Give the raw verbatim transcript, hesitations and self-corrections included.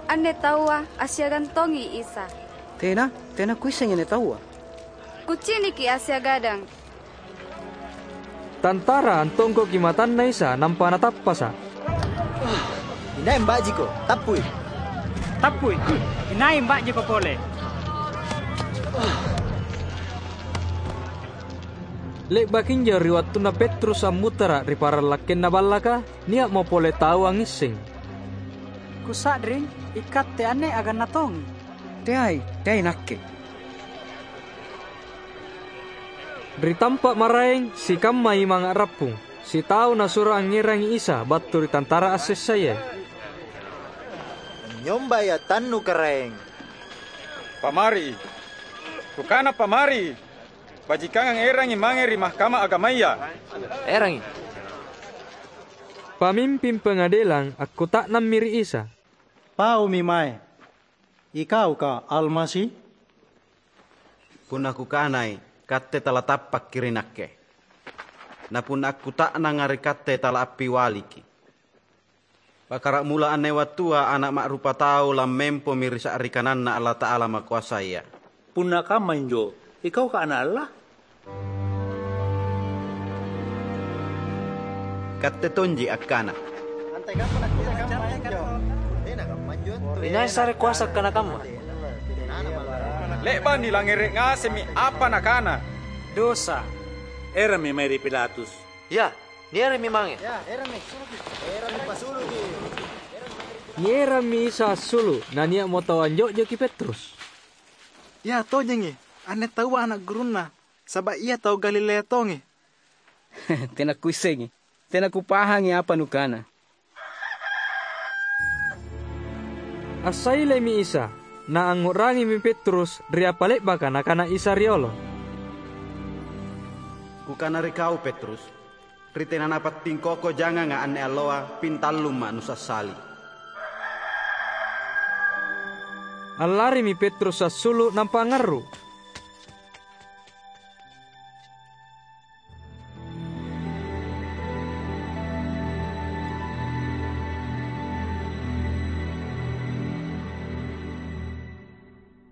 "Anne taua assiagang tongi Isa." "Tena, tena kuissengi anne taua." "Kuciniki assiagadang." Tantara antongkoki matanna Isa nampa natappasa'. "Inai mba'jiko? Tappui!" "Tappui! Inai mba'jiko pole?" Le'baki injo ri wattunna Petrus ammutara' ri parallakkenna ballaka, nia'mo pole tau angngisseng. "Kusa'ring, ikatte anne aganna tongi." "Teai, teai nakke." Ri tampa' maraeng, sikamma imang a'rappung, sitau nasuro angngerangi Isa battu ri tantara assessaya. "Anynyombai atannu, Karaeng." "Pamari! Kukana pamari! Bajikangang erangi mange ri Mahkamah Agamaya." "Erangi." Pamimping pangadelang akkuta'nammi ri Isa. "Paumi mae, Ikauka Almasi?" "Punna Kukanai, Katte talatappakki ri Nakke. Na punna akkuta'nanga ri Katte talaappiwaliki. Pakkaramula anne wattua Ana' Ma'rupatau lammempomi ri sa'ri kananNa Allata'ala Makoasaya." "Punna kamma injo, Ikauka Ana' Allata'ala?" Katte tonji akkana, "Inai sare koasa akkana kamma?" Le'ba' nilangngere' ngasemmi apa Nakana. "Dosa, erammi mae ri Pilatus." "Ya, nierammi mange." Nierammi Isa assulu', nania'mo tau anjo'joki Petrus. "Ia tojengi, anne taua ana' gurunNa, saba' ia tau Galilea tongi." "Tena kuissengi, tena kupahangi apa nukana." Assailemi Isa, naangngu'rangimi Petrus ri apa le'baka Nakana Isa riolo. "Kukana ri kau, Petrus, ri tena napattingkoko janganga anne alloa, pintallumma' nusassali." Allarimi Petrus assulu' nampa angngarru'.